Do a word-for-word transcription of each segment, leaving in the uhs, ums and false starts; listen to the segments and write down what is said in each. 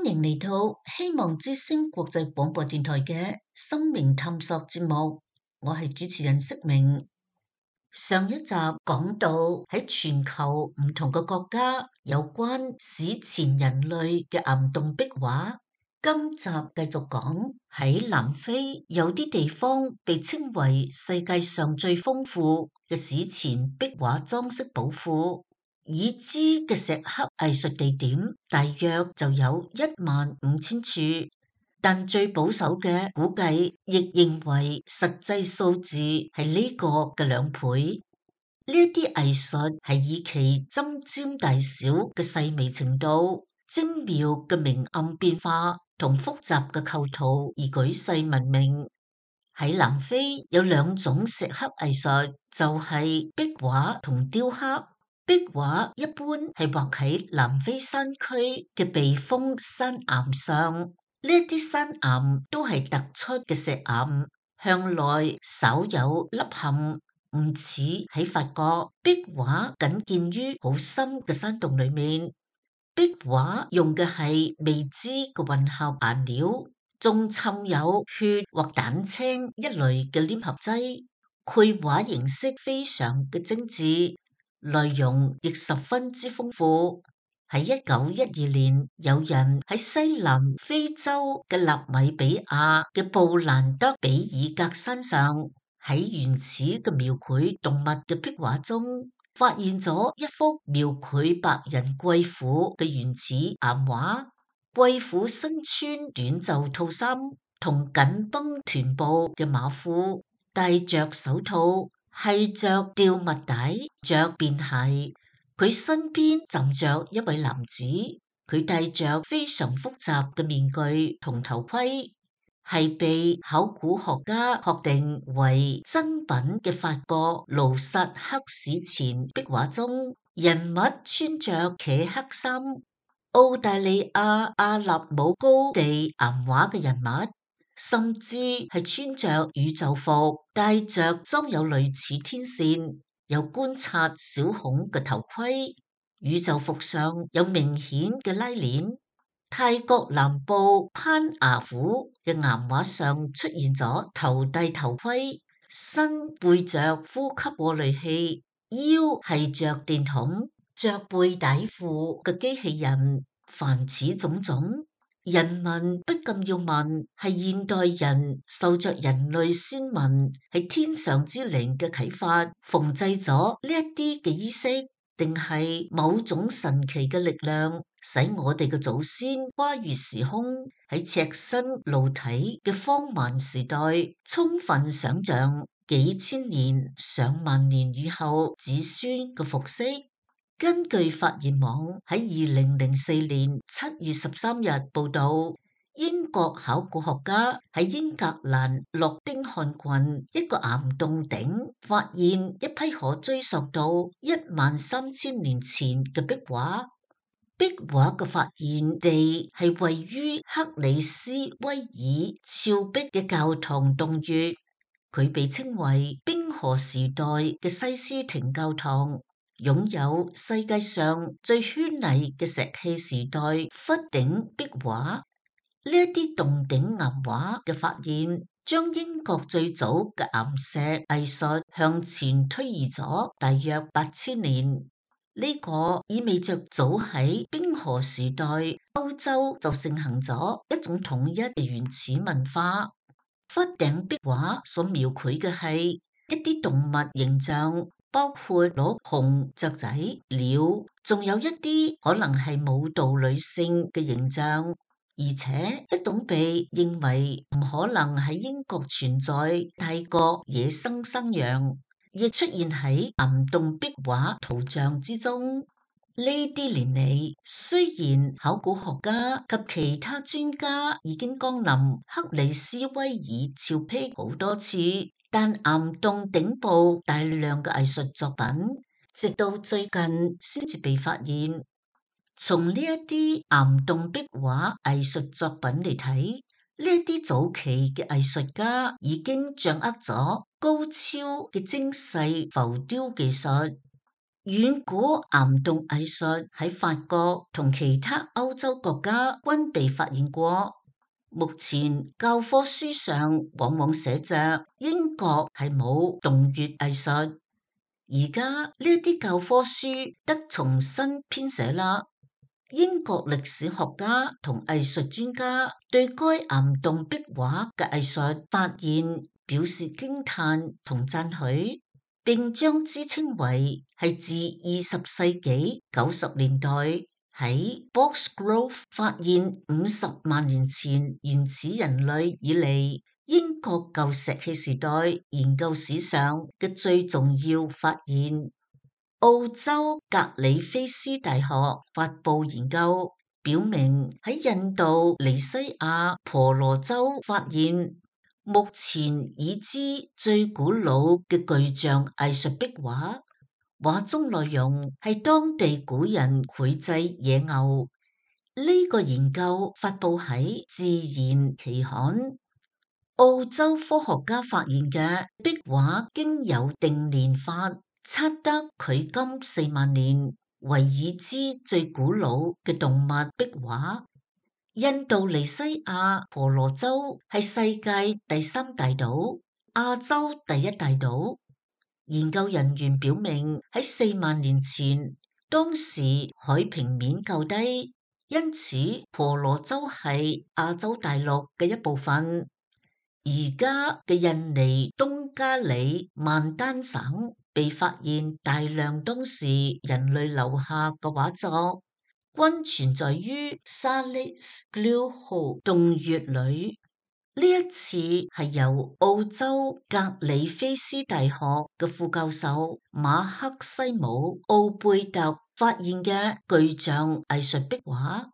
迎嚟到希望之聲國際廣播電台嘅生命探索節目，我係主持人釋明。上一集講到喺全球唔同嘅國家有關史前人類嘅岩洞壁畫，今集繼續講喺南非有啲地方被稱為世界上最豐富嘅史前壁畫裝飾寶庫。已知嘅石刻藝術地點大約就有一萬五千處，但最保守嘅估計亦認為實際數字係呢個嘅兩倍。呢一啲藝術係以其針尖大小嘅細微程度、精妙嘅明暗變化同複雜嘅構圖而舉世聞名。喺南非有兩種石刻藝術，就係壁畫同雕刻。壁畫一般係畫喺南非山區嘅避風山岩上，呢一啲山岩都係突出嘅石岩，向內稍有凹陷，唔似喺法國壁畫僅見於好深嘅山洞裏面。壁畫用嘅係未知嘅混合顏料，仲滲有血或蛋青一類嘅黏合劑，繪畫形式非常嘅精緻。內容亦十分之豐富。喺一九一二年，有人喺西南非洲嘅納米比亞嘅布蘭德比爾格山上，喺原始嘅描繪動物嘅壁畫中，發現咗一幅描繪白人貴婦嘅原始岩畫。貴婦身穿短袖套衫同緊繃臀部嘅馬褲，戴着手套，繫着吊襪帶，着便鞋。佢身邊站着一位男子，佢戴着非常複雜嘅面具同頭盔，係被考古學家確定為真品嘅法國盧薩克史前壁畫中，人物穿着茄黑衫。澳大利亞阿納姆高地岩畫嘅人物，甚至係穿着宇宙服，戴着裝有類似天線、有觀察小孔嘅頭盔。宇宙服上有明顯嘅拉鏈。泰國南部攀牙府嘅岩畫上出現咗頭戴頭盔，身背着呼吸過濾器，腰繫着電筒，着背帶褲嘅機器人。凡此種種，人民不禁要問：係現代人受着人類先民係天上之靈嘅啟發，縫製咗呢一啲嘅衣飾，定係某種神奇嘅力量，使我哋嘅祖先跨越時空，喺赤身露體嘅荒蠻時代，充分想象幾千年、上萬年以後子孫嘅服飾？根據發現網喺二零零四年七月十三日報道，英國考古學家喺英格蘭諾丁漢郡一個岩洞頂發現一批可追溯到一萬三千年前嘅壁畫。壁畫嘅發現地係位於克里斯威爾峭壁嘅教堂洞穴，佢被稱為冰河時代嘅西斯廷教堂。擁有世界上最絢麗嘅石器時代窟頂壁畫，呢一啲洞頂岩畫嘅發現，將英國最早嘅岩石藝術向前推移咗大約八千年。呢、這個意味着早喺冰河時代，歐洲就盛行咗一種統一嘅原始文化。窟頂壁畫所描繪嘅係一啲動物形象。包括鹿、熊、雀仔、鳥，仲有一啲可能係舞蹈女性嘅形象，而且一種被認為唔可能喺英國存在泰國野生山羊，亦出現喺岩洞壁畫圖像之中。呢啲年嚟，雖然考古學家及其他專家已經光臨克里斯威爾峭壁好多次，但岩洞頂部大量嘅藝術作品，直到最近先至被發現。從呢一啲岩洞壁畫藝術作品嚟睇，呢一啲早期嘅藝術家已經掌握咗高超嘅精細浮雕技術。遠古岩洞藝術喺法國同其他歐洲國家均被發現過。目前教科書上往往寫着英國係冇洞穴藝術，而家呢啲教科書得重新編寫啦。英國歷史學家同藝術專家對該岩洞壁畫嘅藝術發現表示驚嘆同讚許，並將之稱為係自二十世紀九十年代喺 Boxgrove 發現五十萬年前原始人類以嚟，英國舊石器時代研究史上嘅最重要發現。澳洲格里菲斯大學發布研究，表明喺印度尼西亞婆羅洲發現目前已知最古老嘅巨象藝術壁畫，畫中內容係當地古人繪製野牛。呢、這個研究發布喺《自然》期刊。澳洲科學家發現嘅壁畫經有定年法，測得距今四萬年，為已知最古老嘅動物壁畫。印度尼西亞婆羅洲係世界第三大島，亞洲第一大島。研究人員表明喺四萬年前，當時海平面較低，因此婆羅洲係亞洲大陸嘅一部分。而家嘅印尼東加里曼丹省被發現大量當時人類留下嘅畫作，均存在於 Salis Gluhor 洞穴裏。呢一次係由澳洲格里菲斯大學嘅副教授馬克西姆奧貝特發現嘅巨象藝術壁畫。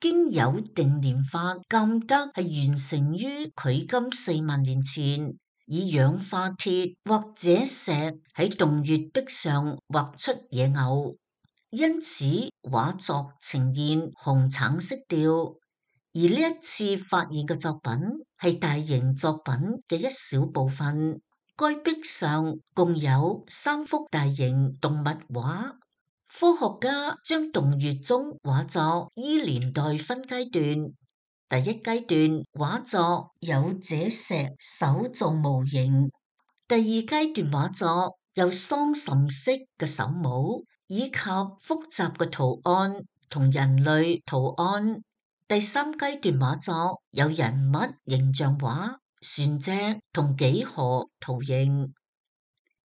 經有定年法鑑得係完成於距今四萬年前，以氧化鐵或者石喺洞穴壁上畫出野牛，因此畫作呈現紅橙色調。而呢一次發現嘅作品係大型作品嘅一小部分，該壁上共有三幅大型動物畫。科學家將洞穴中畫作依年代分階段，第一階段畫作有這石手做模型，第二階段畫作有桑葚式嘅手帽以及複雜嘅圖案同人類圖案，第三階段畫作有人物形象畫、船隻同幾何圖形。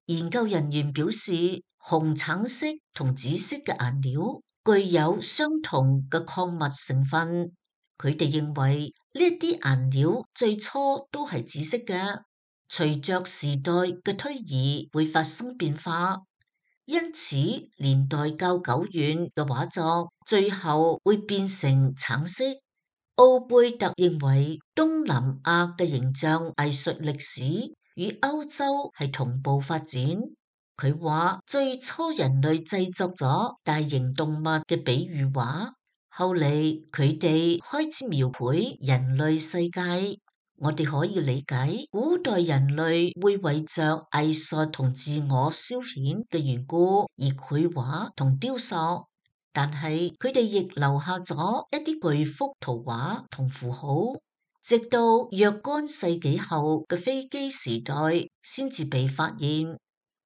研究人員表示，紅橙色同紫色嘅顏料具有相同嘅礦物成分。佢哋認為呢啲顏料最初都係紫色嘅，隨着時代嘅推移會發生變化，因此年代較久遠嘅畫作最後會變成橙色。奧貝特認為東南亞嘅形象藝術歷史與歐洲係同步發展。佢話最初人類製作咗大型動物嘅比喻畫，後嚟佢哋開始描繪人類世界。我哋可以理解古代人類會為着藝術同自我消遣嘅緣故而繪畫同雕塑，但係佢哋亦留下咗一啲巨幅圖畫同符號，直到若干世紀後嘅飛機時代先至被發現。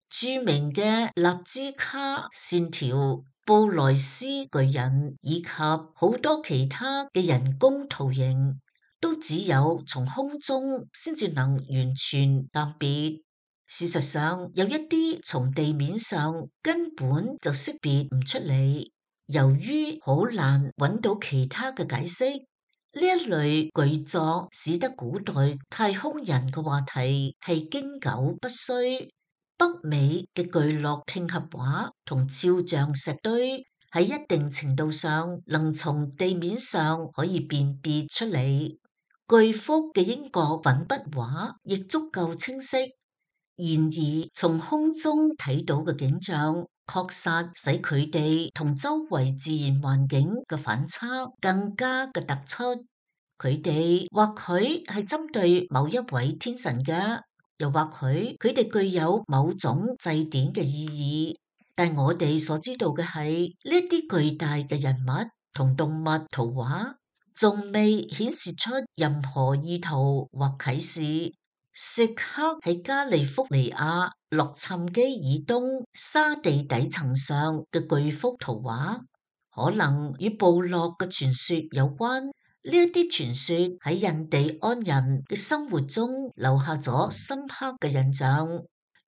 著名嘅納茲卡線條、布萊斯巨人以及好多其他嘅人工圖形，都只有從空中先至能完全鑑別。事實上，有一啲從地面上根本就識別唔出嚟。由於好難揾到其他嘅解釋，呢一類巨作使得古代太空人嘅話題係經久不衰。北美嘅巨落拼合畫同肖像石堆喺一定程度上能從地面上可以辨別出嚟，巨幅嘅英國粉筆畫亦足夠清晰。然而從空中睇到嘅景象，確實使佢哋同周圍自然環境嘅反差更加嘅突出。佢哋或許係針對某一位天神嘅。又或許佢哋具有某種祭典嘅意義，但我哋所知道嘅係呢啲巨大嘅人物同動物圖畫，仲未顯示出任何意圖或啟示。石刻喺加利福尼亞洛杉磯以東沙地底層上嘅巨幅圖畫，可能與部落嘅傳說有關。呢一啲傳說喺印第安人嘅生活中留下咗深刻嘅印象。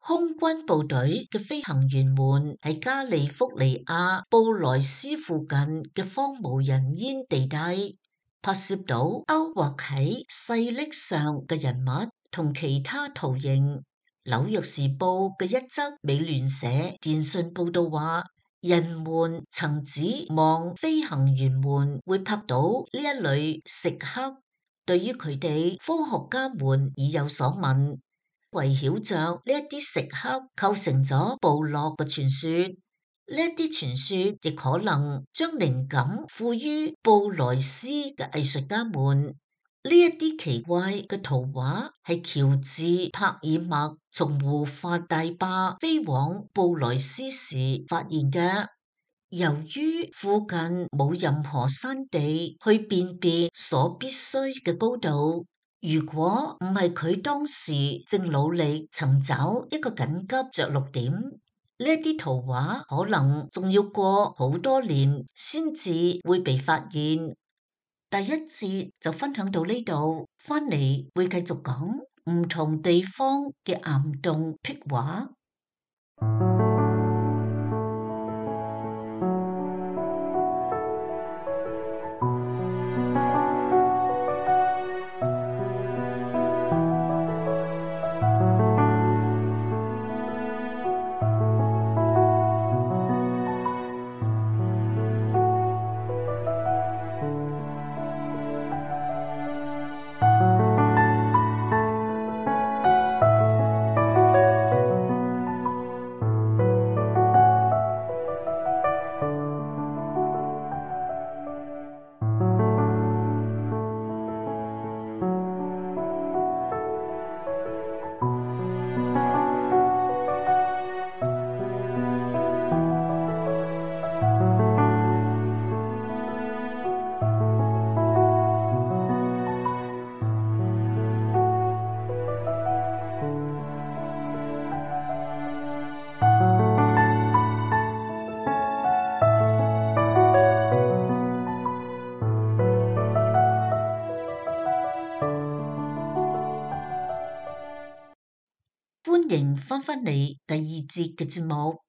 空軍部隊嘅飛行員們喺加利福尼亞布萊斯附近嘅荒無人煙地帶拍攝到勾畫喺細礫上嘅人物同其他圖形。紐約時報嘅一則美聯社電訊報道話，人們曾指望飛行員們會拍到呢一類石刻，對於佢哋科學家們已有所聞。圍繞着呢一啲石刻構成咗部落嘅傳說，呢一啲傳說亦可能將靈感賦予布萊斯嘅藝術家們。呢一啲奇怪嘅圖畫係喬治帕爾默從胡發大壩飛往布萊斯時發現嘅。由於附近冇任何山地去辨別所必須嘅高度，如果唔係佢當時正努力尋找一個緊急着陸點，呢一啲圖畫可能仲要過好多年先至會被發現。第一節就分享到呢度，翻嚟會繼續講唔同地方嘅岩洞壁畫。歡迎翻返嚟第二節嘅節目。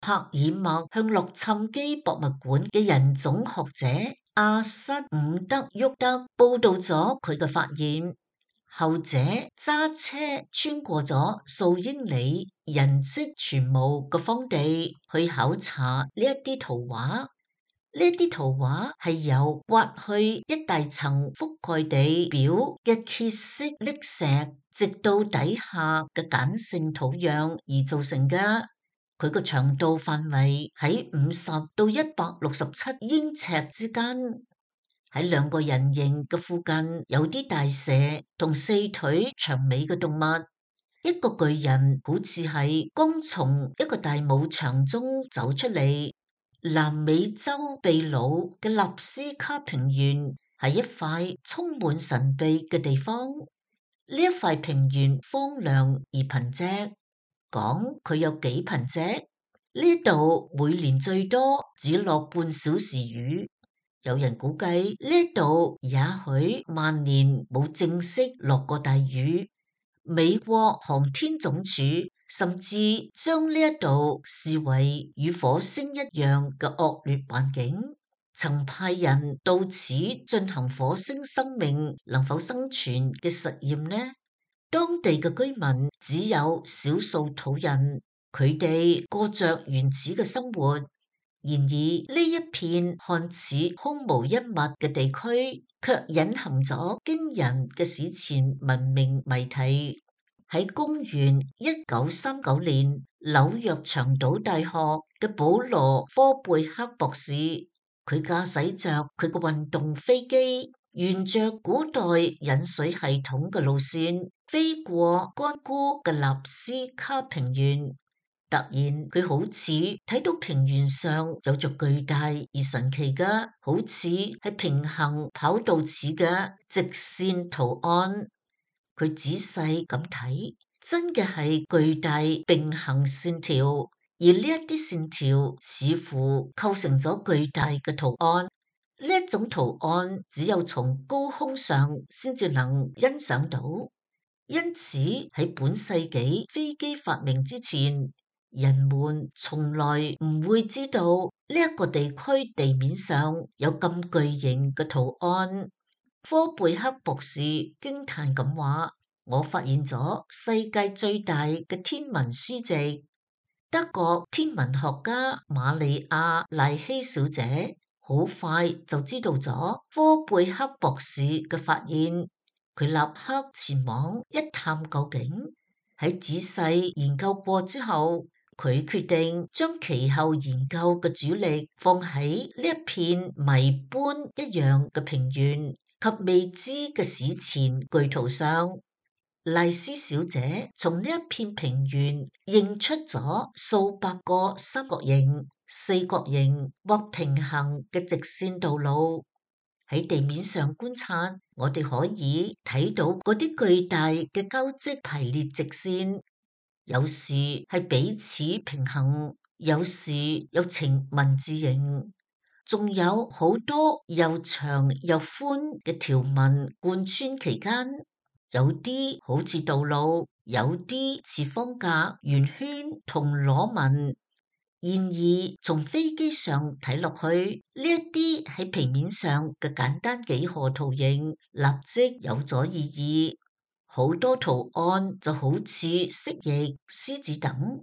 帕爾默向洛杉磯博物館嘅人種學者阿瑟伍德沃德報道咗佢嘅發現。後者揸車穿過咗數英里人跡全無嘅荒地去考察呢一啲圖畫。呢一啲圖畫係由刮去一大層覆蓋地表嘅碣色礫石，直到底下嘅鹼性土壤而造成嘅。佢個長度範圍喺五十到一百六十七英尺之間。喺兩個人形嘅附近有啲大蛇同四腿長尾嘅動物。一個巨人好似係剛從一個大牧場中走出嚟。南美洲秘魯嘅納斯卡平原係一塊充滿神秘嘅地方。呢一塊平原荒涼而貧瘠，講佢有幾貧瘠？呢度每年最多只落半小時雨。有人估計呢度也許萬年冇正式落過大雨。美國航天總署甚至將呢一度視為與火星一樣嘅惡劣環境，曾派人到此進行火星生命能否生存嘅實驗呢？當地嘅居民只有少數土人，佢哋過着原始嘅生活。然而呢一片看似空無一物嘅地區，卻隱含咗驚人嘅史前文明謎題。喺公元一九三九年，紐約長島大學嘅保羅科貝克博士，佢駕駛着佢嘅運動飛機，沿着古代引水系統嘅路線，飛過乾枯嘅納斯卡平原。突然佢好似睇到平原上有着巨大而神奇嘅，好似係平行跑道似嘅直線圖案。佢仔細咁睇，真嘅係巨大並行線條，而呢一啲線條似乎構成咗巨大嘅圖案。呢一種圖案只有從高空上先至能欣賞到，因此喺本世紀飛機發明之前，人們從來唔會知道呢一個地區地面上有咁巨型嘅圖案。科貝克博士驚嘆咁話：我發現咗世界最大嘅天文書籍。德國天文學家瑪利亞賴希小姐好快就知道咗科貝克博士嘅發現，佢立刻前往一探究竟。喺仔細研究過之後，佢決定將其後研究嘅主力放喺呢一片謎般一樣嘅平原及未知嘅史前巨圖上。麗絲小姐從呢一片平原認出咗數百個三角形、四角形或平行嘅直線道路。喺地面上觀察，我哋可以睇到嗰啲巨大嘅交織排列直線，有時係彼此平衡，有時又呈文字形，仲有好多又長又寬嘅條紋貫穿其間。有啲好似道路，有啲似方格、圓圈同螺紋。然而，從飛機上睇落去，呢一啲喺平面上嘅簡單幾何圖形，立即有咗意義。好多圖案就好似蜥蜴、獅子等，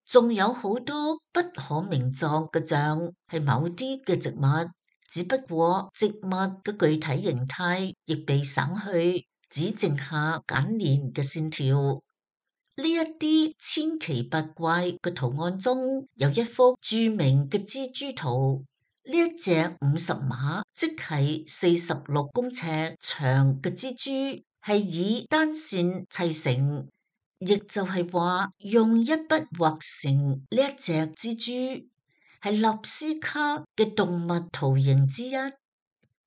仲有好多不可名狀嘅像，係某啲嘅植物。只不過植物嘅具體形態亦被省去。只剩下簡練嘅線條。呢一啲千奇百怪嘅圖案中，有一幅著名嘅蜘蛛圖。呢一隻五十碼，即係四十六公尺長嘅蜘蛛，係以單線砌成，亦就係話用一筆畫成呢一隻蜘蛛，係納斯卡嘅動物圖形之一。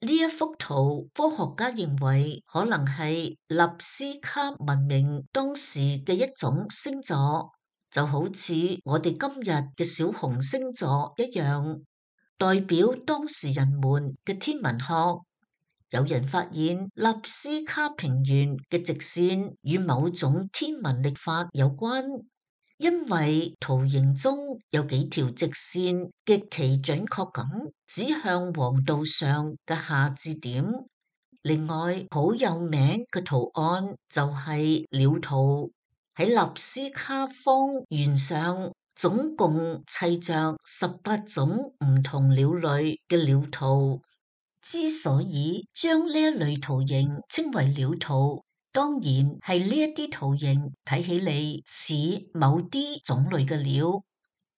呢一幅圖，科學家認為可能係納斯卡文明當時嘅一種星座，就好似我哋今日嘅小熊星座一樣，代表當時人們嘅天文學。有人發現納斯卡平原嘅直線與某種天文曆法有關。因為圖形中有幾條直線極其準確咁指向黃道上嘅夏至點。另外好有名嘅圖案就係鳥圖，喺納斯卡方圓上總共砌着十八種唔同鳥類嘅鳥圖。之所以將呢一類圖形稱為鳥圖，當然係呢一啲圖形睇起嚟似某啲種類嘅鳥。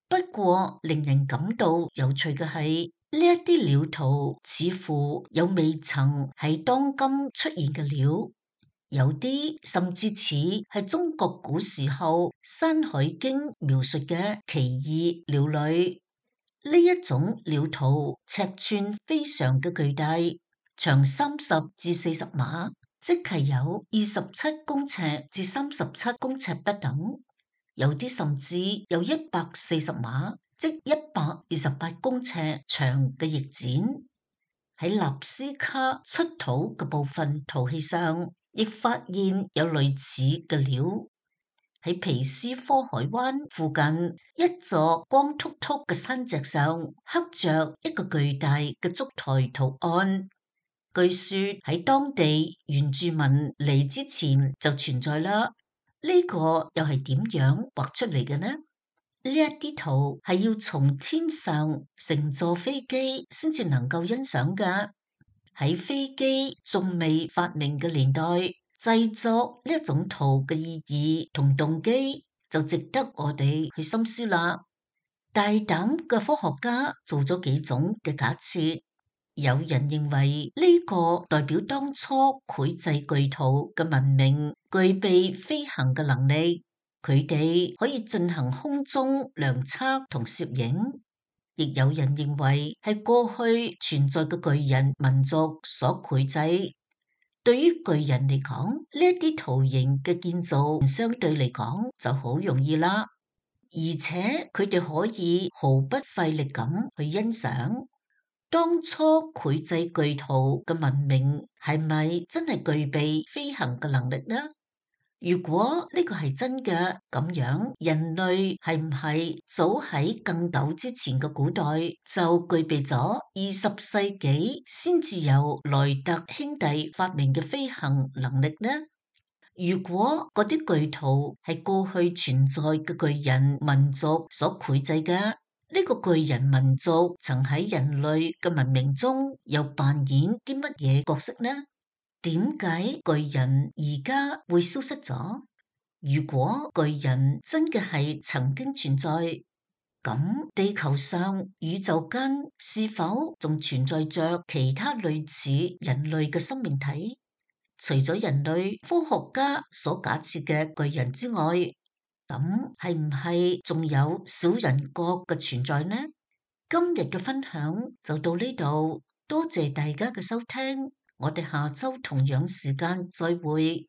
不過令人感到有趣嘅係，呢一啲鳥圖似乎有未曾喺當今出現嘅鳥，有啲甚至似係中國古時候《山海經》描述嘅奇異鳥類。呢一種鳥圖尺寸非常嘅巨大，長三十至四十碼。即係有二十七公尺至三十七公尺不等，有啲甚至有一百四十碼，即一百二十八公尺長嘅翼展。喺納斯卡出土嘅部分陶器上，亦發現有類似嘅鳥。喺皮斯科海灣附近一座光禿禿嘅山脊上，刻着一個巨大嘅燭台圖案。據說喺當地原住民嚟之前就存在啦。呢個又係點樣畫出嚟嘅呢？呢一啲圖係要從天上乘坐飛機先至能夠欣賞㗎。喺飛機仲未發明嘅年代，製作呢一種圖嘅意義同動機就值得我哋去深思啦。大膽嘅科學家做咗幾種嘅假設。有人認為呢個代表當初繪製巨圖嘅文明具備飛行嘅能力，佢哋可以進行空中量測同攝影，亦有人認為係過去存在嘅巨人民族所繪製。對於巨人嚟講，呢一啲圖形嘅建造相對嚟講就好容易啦，而且佢哋可以毫不費力咁去欣賞。當初繪製巨圖嘅文明係咪真係具備飛行嘅能力呢？如果呢個係真嘅，咁樣人類係唔係早喺更久之前嘅古代就具備咗二十世紀先至由萊特兄弟發明嘅飛行能力呢？如果嗰啲巨圖係過去存在嘅巨人民族所繪製嘅，呢個巨人民族曾喺人類嘅文明中又扮演啲乜嘢角色呢？點解巨人而家會消失咗？如果巨人真嘅係曾經存在，咁地球上宇宙間是否仲存在着其他類似人類嘅生命體？除咗人類科學家所假設嘅巨人之外，咁係唔係仲有小人國嘅存在呢？今日嘅分享就到呢度，多謝大家嘅收聽。我哋下周同樣時間再會。